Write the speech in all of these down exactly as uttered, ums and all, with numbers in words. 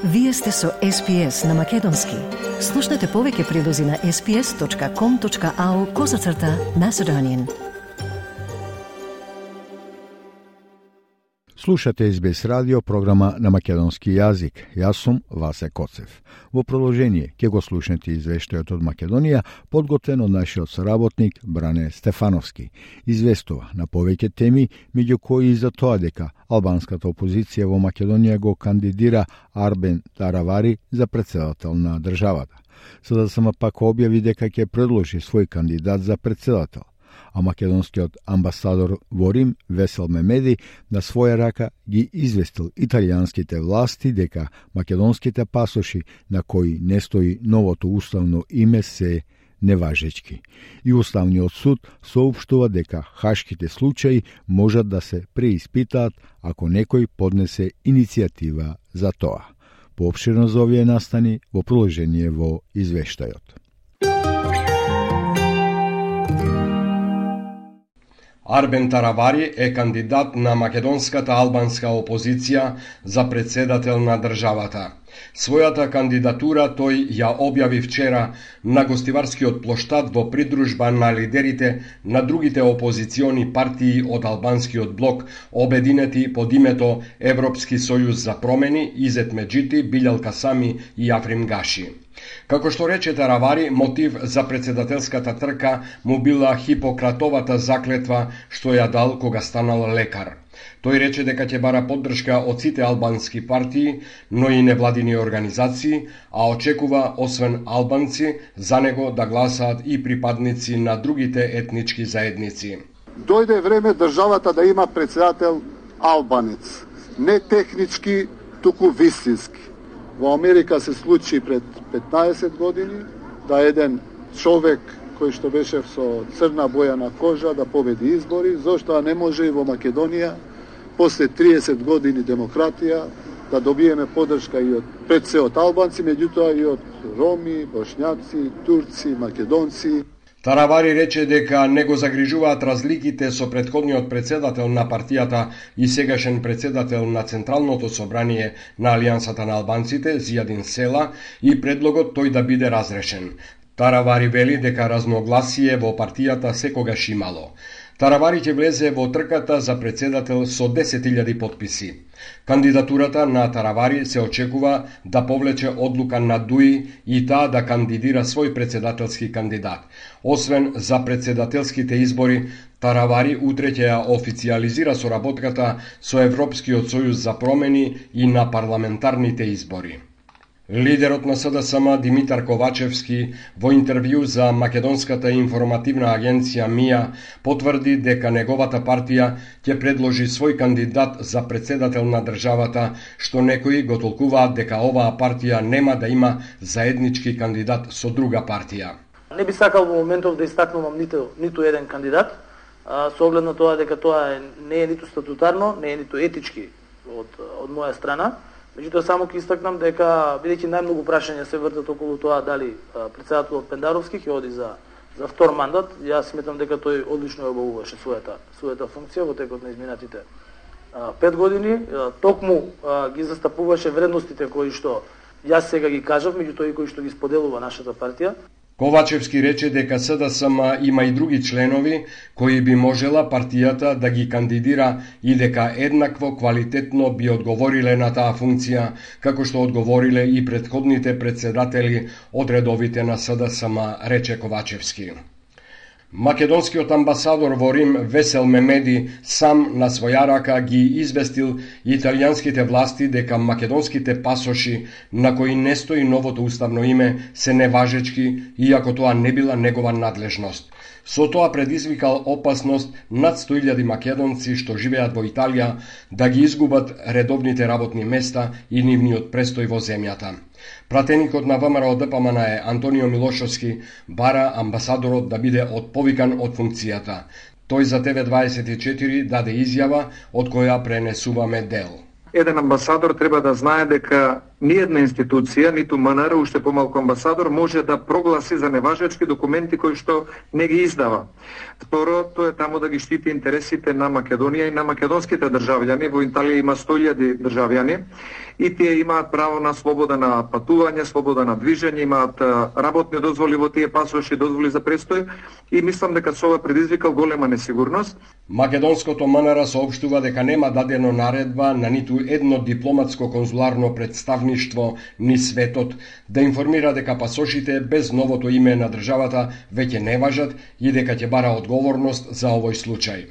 Вие сте со Ес Пи Ес на Македонски. Слушнете повеќе прилози на ес пи ес точка ком точка ау козацрта Macedonian. Слушате Ес Би Ес радио, програма на македонски јазик. Јас сум Васе Коцев. Во продолжение ќе го слушнете извештајот од Македонија, подготвен од нашиот соработник Бране Стефановски. Известува на повеќе теми, меѓу кои и за тоа дека албанската опозиција во Македонија го кандидира Арбен Таравари за председател на државата. СДСМ пак објави дека ќе предложи свој кандидат за председател, а македонскиот амбасадор во Рим Весел Мемеди на своја рака ги известил италијанските власти дека македонските пасоши на кои не стои новото уставно име се неважечки. И Уставниот суд соопштува дека хашките случаи можат да се преиспитаат ако некој поднесе иницијатива за тоа. Поопширно за овие настани во продолжение во извештајот. Арбен Таравари е кандидат на македонската албанска опозиција за председател на државата. Својата кандидатура тој ја објави вчера на гостиварскиот плоштад во придружба на лидерите на другите опозициони партии од албанскиот блок, обединети под името Европски сојуз за промени, Изет Меджити, Билјал Касами и Африм Гаши. Како што рече Таравари, мотив за председателската трка му била Хипократовата заклетва што ја дал кога станал лекар. Тој рече дека ќе бара поддршка од сите албански партии, но и невладини организации, а очекува, освен албанци, за него да гласаат и припадници на другите етнички заедници. Дојде време државата да има председател албанец, не технички, туку вистински. Во Америка се случи пред петнаесет години да еден човек кој што беше со црна боја на кожа да победи избори, зошто не може и во Македонија после триесет години демократија да добиеме поддршка и од пред се од албанци, меѓутоа и од роми, бошњаци, турци, македонци. Таравари рече дека не го загрижуваат разликите со претходниот председател на партијата и сегашен председател на Централното собрание на Алијансата на албанците, Зијадин Села, и предлогот тој да биде разрешен. Таравари вели дека разногласие во партијата секогаш имало. Таравари ќе влезе во трката за председател со десет илјади потписи. Кандидатурата на Таравари се очекува да повлече одлука на ДУИ и таа да кандидира свој председателски кандидат. Освен за председателските избори, Таравари утре ќе ја официјализира соработката со Европскиот сојуз за промени и на парламентарните избори. Лидерот на СДСМ Димитар Ковачевски во интервју за Македонската информативна агенција МИА потврди дека неговата партија ќе предложи свој кандидат за председател на државата, што некои го толкуваат дека оваа партија нема да има заеднички кандидат со друга партија. Не би сакал во моментов да истакнувам ниту, ниту еден кандидат, а, со оглед на тоа дека тоа е, не е ниту статутарно, не е ниту етички од, од моја страна. Меѓутоа само ќе истакнам дека бидејќи најмногу прашања се вртат околу тоа дали председателот Пендаровски ќе оди за за втор мандат, јас сметам дека тој одлично ја обавуваше својата својата функција во текот на изминатите а, пет години, а, токму а, ги застапуваше вредностите кои што јас сега ги кажав, меѓутоа и кои што ги споделува нашата партија. Ковачевски рече дека СДСМ има и други членови кои би можела партијата да ги кандидира и дека еднакво квалитетно би одговориле на таа функција, како што одговориле и претходните председатели од редовите на СДСМ, рече Ковачевски. Македонскиот амбасадор во Рим Весел Мемеди сам на своја рака ги известил италијанските власти дека македонските пасоши на кои не стои новото уставно име се неважечки, иако тоа не била негова надлежност. Со тоа предизвикал опасност над сто илјади македонци што живеат во Италија да ги изгубат редовните работни места и нивниот престој во земјата. Пратеникот на ВМРО Д П М Н е Антонио Милошовски бара амбасадорот да биде отповикан од функцијата. Тој за Т В дваесет и четири даде изјава од која пренесуваме дел. Еден амбасадор треба да знае дека ниедна институција, ниту МНР, уште помалку амбасадор, може да прогласи за неважечки документи кои што не ги издава. Второ, тоа е таму да ги штити интересите на Македонија и на македонските државјани. Во Италија има сто илјади државјани и тие имаат право на слобода на патување, слобода на движење, имаат работни дозволи во тие пасоши, дозволи за престој и мислам дека со ова предизвикал голема несигурност. Македонското МНР соопштува дека нема дадено наредба на ниту едно дипломатско конзуларно представништво ни светот да информира дека пасошите без новото име на државата веќе не важат и дека ќе бара одговорност за овој случај.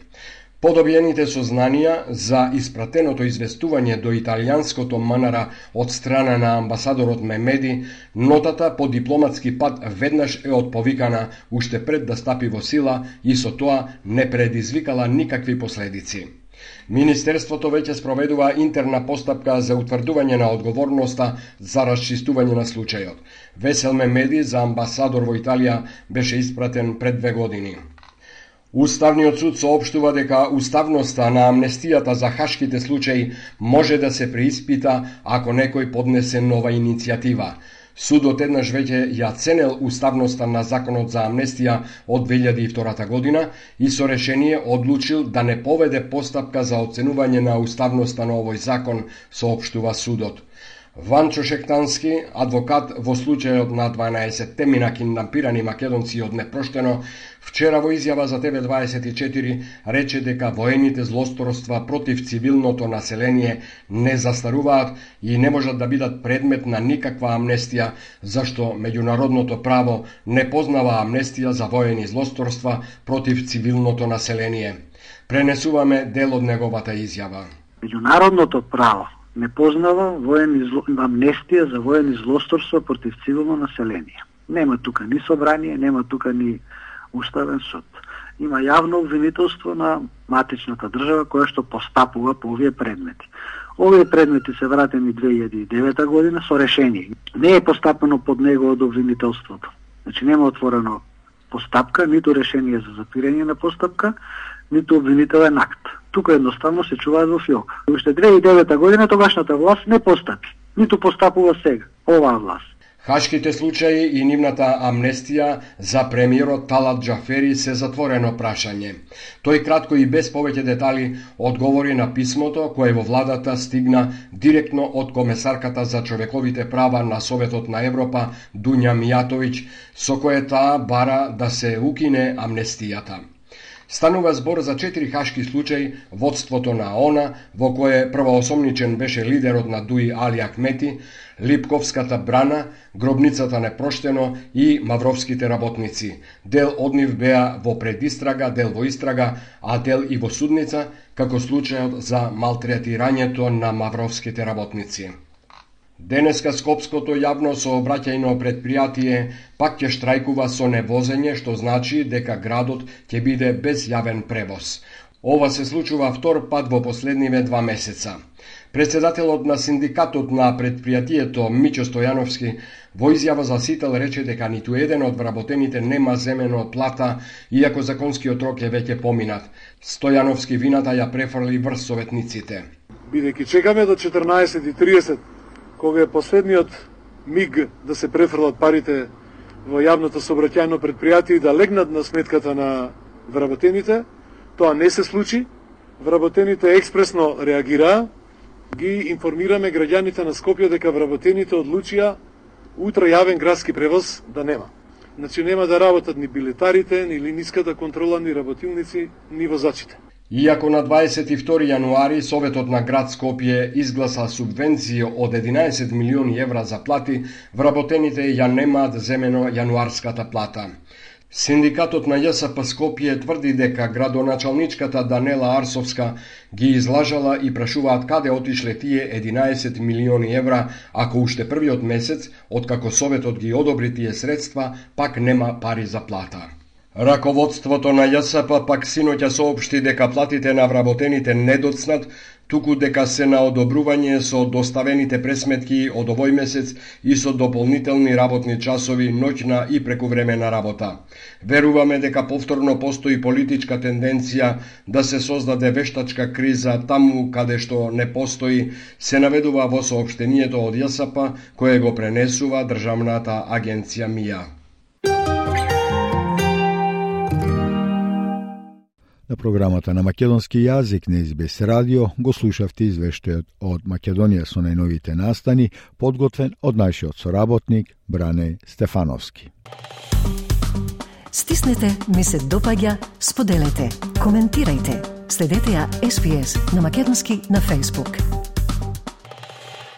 По добиените сознанија за испратеното известување до италијанското МНР од страна на амбасадорот Мемеди, нотата по дипломатски пат веднаш е отповикана уште пред да стапи во сила и со тоа не предизвикала никакви последици. Министерството веќе спроведува интерна постапка за утврдување на одговорноста за расчистување на случајот. Весел Мемеди за амбасадор во Италија беше испратен пред две години. Уставниот суд соопштува дека уставноста на амнестијата за хашките случаи може да се преиспита ако некој поднесе нова иницијатива. Судот еднаш веќе ја ценел уставноста на законот за амнестија од две илјади и втора година и со решение одлучил да не поведе постапка за оценување на уставноста на овој закон, соопштува судот. Ванчо Шектански, адвокат во случајот на дванаесетте мина киднапирани македонци од Непроштено, вчера во изјава за Т В дваесет и четири рече дека воените злосторства против цивилното население не застаруваат и не можат да бидат предмет на никаква амнестија, зашто меѓународното право не познава амнестија за воени злосторства против цивилното население. Пренесуваме дел од неговата изјава. Меѓународното право не познава воени зло... амнестија за воени злосторства против цивилно население. Нема тука ни собрание, нема тука ни уставен суд. Има јавно обвинителство на матичната држава која што постапува по овие предмети. Овие предмети се вратени две илјади и девета година со решение. Не е постапено под него од обвинителството. Значи нема отворено постапка, ниту решение за затвирање на постапка, ниту обвинителен акт. Тука едноставно се чуваат во фиока. Уште две илјади и девета година тогашната власт не постапи, ниту постапува сега оваа власт. Хашките случаи и нивната амнестија за премиерот Талат Џафери се затворено прашање. Тој кратко и без повеќе детали одговори на писмото кое во владата стигна директно од комесарката за човековите права на Советот на Европа Дуња Мијатовиќ, со кое таа бара да се укине амнестијата. Станува збор за четири хашки случаи, водството на ООН, во кое првоосомничен беше лидерот на Дуи Али Ахмети, Липковската брана, гробницата Непроштено и мавровските работници. Дел од нив беа во предистрага, дел во истрага, а дел и во судница, како случајот за малтретирањето на мавровските работници. Денеска Скопското јавно сообраќајно предпријатие пак ќе штрајкува со невозење, што значи дека градот ќе биде без јавен превоз. Ова се случува втор пат во последниве два месеца. Председателот на синдикатот на предпријатието Мичо Стојановски во изјава за Сител рече дека ниту еден од вработените нема земено плата, иако законскиот рок е веќе поминат. Стојановски вината ја префрли врз советниците. Бидејќи чекаме до четрнаесет и тридесет, кога е последниот миг да се префрлат парите во јавното сообраќајно предпријатие и да легнат на сметката на вработените, тоа не се случи. Вработените експресно реагираа. Ги информираме граѓаните на Скопје дека вработените одлучија утре јавен градски превоз да нема. Значи нема да работат ни билетарите, ни линиската контрола, ни работилници, ни возачите. Иако на дваесет и втори јануари Советот на град Скопје изгласа субвенција од единаесет милиони евра за плати, вработените ја немаат земено јануарската плата. Синдикатот на Ја С П Скопје тврди дека градоначалничката Данела Арсовска ги излажала и прашуваат каде отишле тие единаесет милиони евра, ако уште првиот месец, откако Советот ги одобри тие средства, пак нема пари за плата. Раководството на Ја С П пак синоќа соопшти дека платите на вработените не доцнат, туку дека се на одобрување со доставените пресметки од овој месец и со дополнителни работни часови, ноќна и прекувремена работа. Веруваме дека повторно постои политичка тенденција да се создаде вештачка криза таму каде што не постои, се наведува во соопштението од ЈСП кое го пренесува државната агенција МИА. На програмата на македонски јазик на Ес Би Ес радио го слушавте извештајот од Македонија со најновите настани, подготвен од нашиот соработник Бране Стефановски. Стиснете, ми се допаѓа, споделете, коментирајте. Следете ја Ес Би Ес на македонски на Facebook.